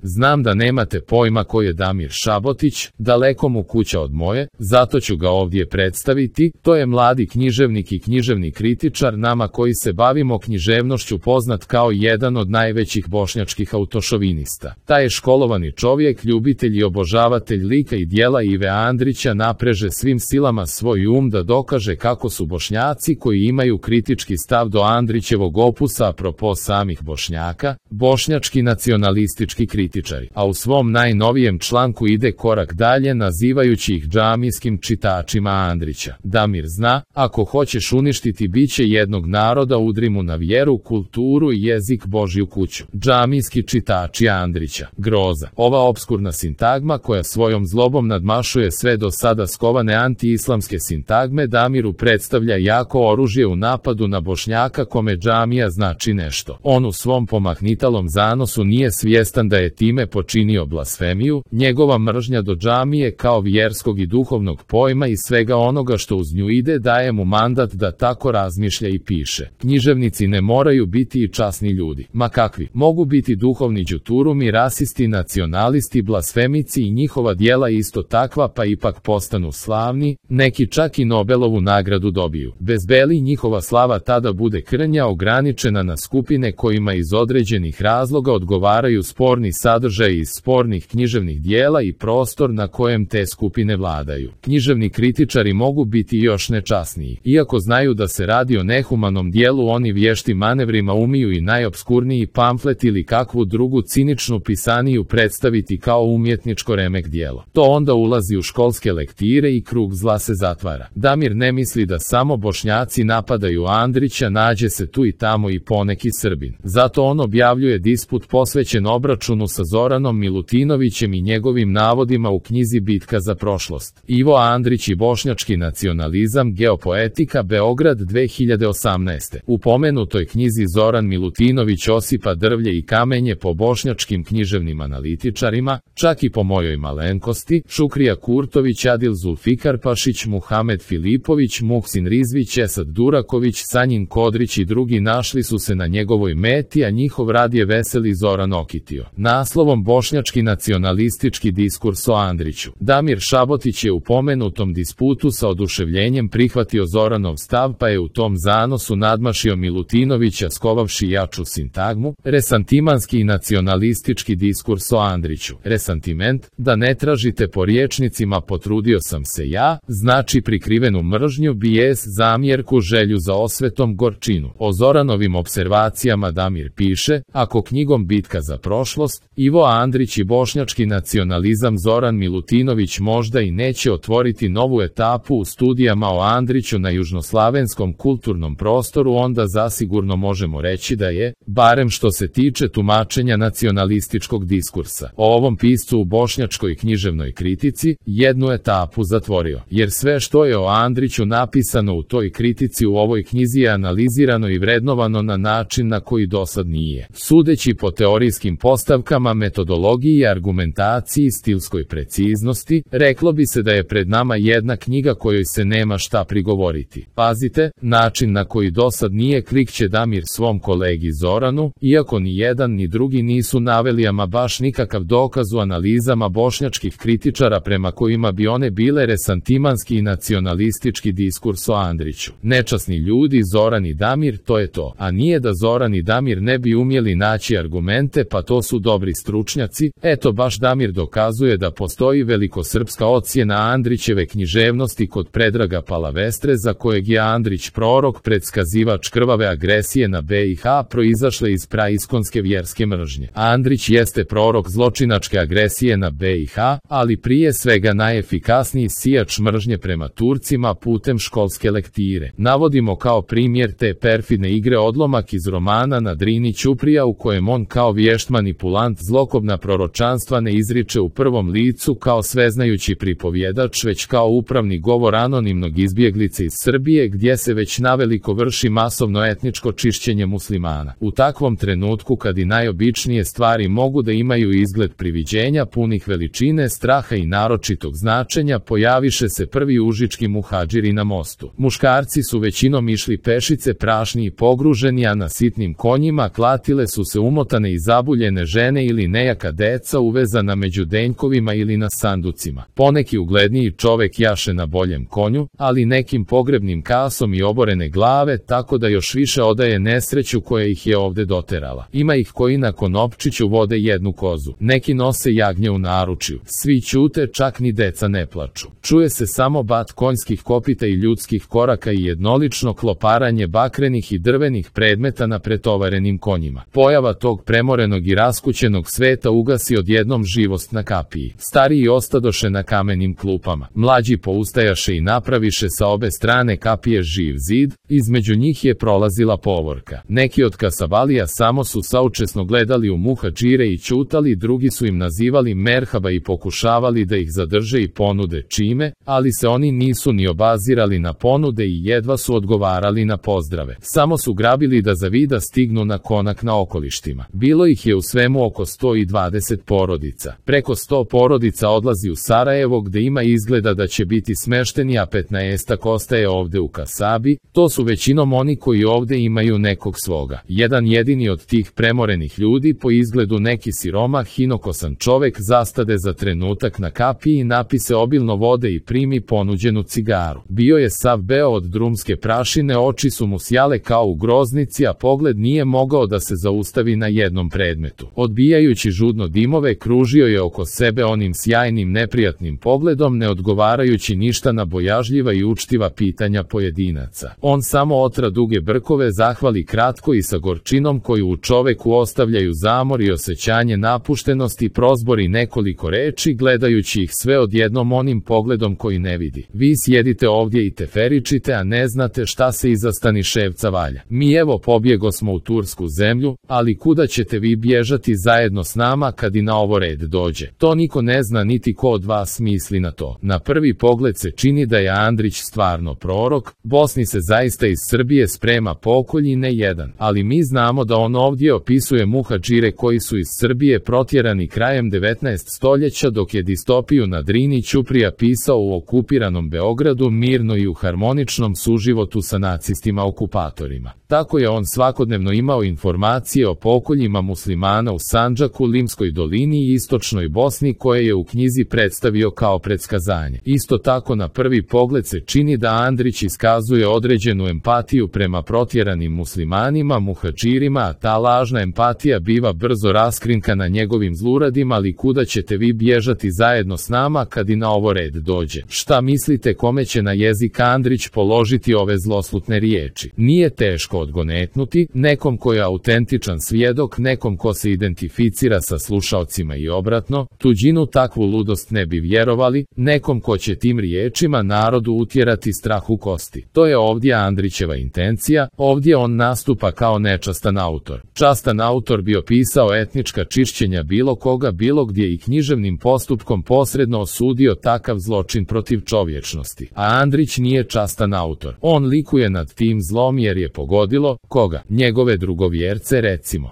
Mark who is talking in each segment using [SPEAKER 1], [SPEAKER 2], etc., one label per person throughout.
[SPEAKER 1] Znam da nemate pojma ko je Damir Šabotić, daleko mu kuća od moje, zato ću ga ovdje predstaviti. To je mladi književnik i književni kritičar, nama koji se bavimo književnošću poznat kao jedan od najvećih bošnjačkih autošovinista. Taj je školovani čovjek, ljubitelj i obožavatelj lika i djela Ive Andrića, napreže svim silama svoj da dokaže kako su Bošnjaci koji imaju kritički stav do Andrićevog opusa apropo samih Bošnjaka, bošnjački nacionalistički kritičari, a u svom najnovijem članku ide korak dalje nazivajući ih džamijskim čitačima Andrića. Damir zna, ako hoćeš uništiti biće jednog naroda, udri mu na vjeru, kulturu i jezik Božju kuću. Džamijski čitači Andrića. Groza. Ova opskurna sintagma koja svojom zlobom nadmašuje sve do sada skovane anti-islamske sintagme Damiru predstavlja jako oružje u napadu na Bošnjaka kome džamija znači nešto. On u svom pomahnitalom zanosu nije svjestan da je time počinio blasfemiju. Njegova mržnja do džamije kao vjerskog i duhovnog pojma i svega onoga što uz nju ide daje mu mandat da tako razmišlja i piše. Književnici ne moraju biti i časni ljudi. Ma kakvi? Mogu biti duhovni đuturumi, rasisti, nacionalisti, blasfemici i njihova djela isto takva, pa ipak postanu slavni, neki čak i Nobelovu nagradu dobiju. Bez beli njihova slava tada bude krnja, ograničena na skupine kojima iz određenih razloga odgovaraju sporni sadržaj iz spornih književnih djela i prostor na kojem te skupine vladaju. Književni kritičari mogu biti još nečasniji. Iako znaju da se radi o nehumanom djelu, oni vještim manevrima umiju i najopskurniji pamflet ili kakvu drugu ciničnu pisaniju predstaviti kao umjetničko remek djelo. To onda ulazi u školske lektire i krug zla se zatvara. Damir ne misli da samo Bošnjaci napadaju Andrića, nađe se tu i tamo i poneki Srbin. Zato on objavljuje disput posvećen obračunu sa Zoranom Milutinovićem i njegovim navodima u knjizi Bitka za prošlost. Ivo Andrić i bošnjački nacionalizam, geopoetika, Beograd 2018. U pomenutoj knjizi Zoran Milutinović osipa drvlje i kamenje po bošnjačkim književnim analitičarima, čak i po mojoj malenkosti, Šukrija Kurtović, Adil Zulfikarpašić, Muhamed Filipović, Muhsin Rizvić, Esad Duraković, Sanjin Kodrić i drugi našli su se na njegovoj meti, a njihov rad je veseli Zoran okitio. Naslovom Bošnjački nacionalistički diskurs o Andriću. Damir Šabotić je u pomenutom disputu sa oduševljenjem prihvatio Zoranov stav, pa je u tom zanosu nadmašio Milutinovića skovavši jaču sintagmu, resantimanski i nacionalistički diskurs o Andriću. Resantiment, da ne tražite po riječnicima potrudio sam se ja, znači prikrivenu mržnju, bijes, zamjerku, želju za osvetom, gorčinu. O Zoranovim observacijama Damir piše, ako knjigom Bitka za prošlost, Ivo Andrić i bošnjački nacionalizam Zoran Milutinović možda i neće otvoriti novu etapu u studijama o Andriću na južnoslavenskom kulturnom prostoru, onda zasigurno možemo reći da je, barem što se tiče tumačenja nacionalističkog diskursa, o ovom piscu u bošnjačkoj književnoj kritici, jednu etapu zatvorio. Jer sve što je o Andriću napisano u toj kritici u ovoj knjizi je analizirano i vrednovano na način na koji dosad nije. Sudeći po teorijskim postavkama, metodologiji, argumentaciji, stilskoj preciznosti, reklo bi se da je pred nama jedna knjiga kojoj se nema šta prigovoriti. Pazite, način na koji dosad nije klikće Damir svom kolegi Zoranu, iako ni jedan ni drugi nisu naveli ama baš nikakav dokaz u analizama bošnjačkih kritičara prema kojima bi one bile resantimanski i nacionalistički diskurs o Andriću. Nečasni ljudi, Zoran i Damir, to je to. A nije da Zoran i Damir ne bi umjeli naći argumente, pa to su dobri stručnjaci. Eto baš Damir dokazuje da postoji velikosrpska ocjena Andrićeve književnosti kod Predraga Palavestre, za kojeg je Andrić prorok, predskazivač krvave agresije na BiH proizašle iz praiskonske vjerske mržnje. Andrić jeste prorok zločinačke agresije na BiH, ali prije svega najefikasniji sijač mržnje prema Turcima putem školske lektire. Navodimo kao primjer te perfidne igre odlomak iz romana Na Drini Ćuprija u kojem on kao vješt manipulant zlokobna proročanstva ne izriče u prvom licu kao sveznajući pripovjedač, već kao upravni govor anonimnog izbjeglice iz Srbije gdje se već naveliko vrši masovno etničko čišćenje muslimana. U takvom trenutku kad i najobičnije stvari mogu da imaju izgled priviđenja punih veličine, straha i naročitog značenja, pojaviše se prvi užički muhadžiri na mostu. Muškarci su većinom išli pešice, prašni i pogruženi, a na sitnim konjima klatile su se umotane i zabuljene žene ili nejaka deca uvezana među denjkovima ili na sanducima. Poneki ugledniji čovek jaše na boljem konju, ali nekim pogrebnim kasom i oborene glave, tako da još više odaje nesreću koja ih je ovde doterala. Ima ih koji na konopčiću vode jednu kozu. Neki nose jagnje u naručju. Svi ćute, čak ni deca ne plaču. Čuje se samo bat konjskih kopita i ljudskih koraka i jednolično kloparanje bakrenih i drvenih predmeta na pretovarenim konjima. Pojava tog premorenog i raskućenog sveta ugasi odjednom živost na kapiji. Stariji ostadoše na kamenim klupama. Mlađi poustajaše i napraviše sa obe strane kapije živ zid, između njih je prolazila povorka. Neki od kasabalija samo su saučesno gledali u muhadžire i ćutali, drugi su im nazivali merhaba i pokušavali da ih zadrže i ponude čime, ali se oni nisu ni obazirali na ponude i jedva su odgovarali na pozdrave. Samo su grabili da za vida stignu na konak na okolištima. Bilo ih je u svemu oko 120 porodica. Preko 100 porodica odlazi u Sarajevo gde ima izgleda da će biti smešteni, a 15-ak ostaje ovde u kasabi. To su većinom oni koji ovde imaju nekog svoga. Jedan jedini od tih premorenih ljudi, po izgledu neki siromah, inokosan čovek, zastade za trenutak na kapiji i napise obilno vode i primi ponuđenu cigaru. Bio je sav beo od drumske prašine, oči su mu sjale kao u groznici, a pogled nije mogao da se zaustavi na jednom predmetu. Odbijajući žudno dimove, kružio je oko sebe onim sjajnim neprijatnim pogledom, ne odgovarajući ništa na bojažljiva i učtiva pitanja pojedinaca. On samo otra duge brkove, zahvali kratko i sa gorčinom koju u čoveku ostavljaju zamor i osjećanje napuštenosti, prozbori nekoliko reči, gledajući ih sve odjednom onim pogledom koji ne vidi. Vi sjedite ovdje i teferičite, a ne znate šta se iza Staniševca valja. Mi evo pobjegosmo u tursku zemlju, ali kuda ćete vi bježati zajedno s nama kad i na ovo red dođe? To niko ne zna, niti ko od vas misli na to. Na prvi pogled se čini da je Andrić stvarno prorok. Bosni se zaista iz Srbije sprema pokolj i ne jedan, ali mi znamo da on ovdje opisuje muhadžire koji su iz Srbije protjerani krajem 19. stoljeća, dok je distopiju na Drini Ćuprija pisao u okupiranom Beogradu mirno i u harmoničnom suživotu sa nacistima okupatorima. Tako je on svakodnevno imao informacije o pokoljima muslimana u Sandžaku, Limskoj dolini i istočnoj Bosni, koje je u knjizi predstavio kao predskazanje. Isto tako na prvi pogled se čini da Andrić iskazuje određenu empatiju prema protjeranim muslimanima, muhadžirima, a ta lažna empatija biva brzo raskrinkana njegovim zluradima, ali kuda ćete vi bježati zajedno s nama kad i na ovo red dođe? Šta mislite kome će na jezik Andrić položiti ove zloslutne riječi? Nije teško odgonetnuti, nekom ko je autentičan svjedok, nekom ko se identificira sa slušaocima i obratno, tuđinu takvu ludost ne bi vjerovali, nekom ko će tim riječima narodu utjerati strah u kosti. To je ovdje Andrićeva intencija, ovdje on nastupa kao nečastan autor. Častan autor bi opisao etnička čišćenja bilo koga, bilo gdje i književnim postupkom posredno osudio takav zločin protiv čovječnosti. A Andrić nije častan autor. On likuje nad tim zlom jer je pogodilo, koga? Njegove drugovjerce, recimo.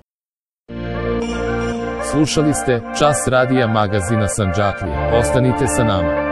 [SPEAKER 1] Slušali ste Čas radija magazina Sandžaklija. Ostanite sa nama.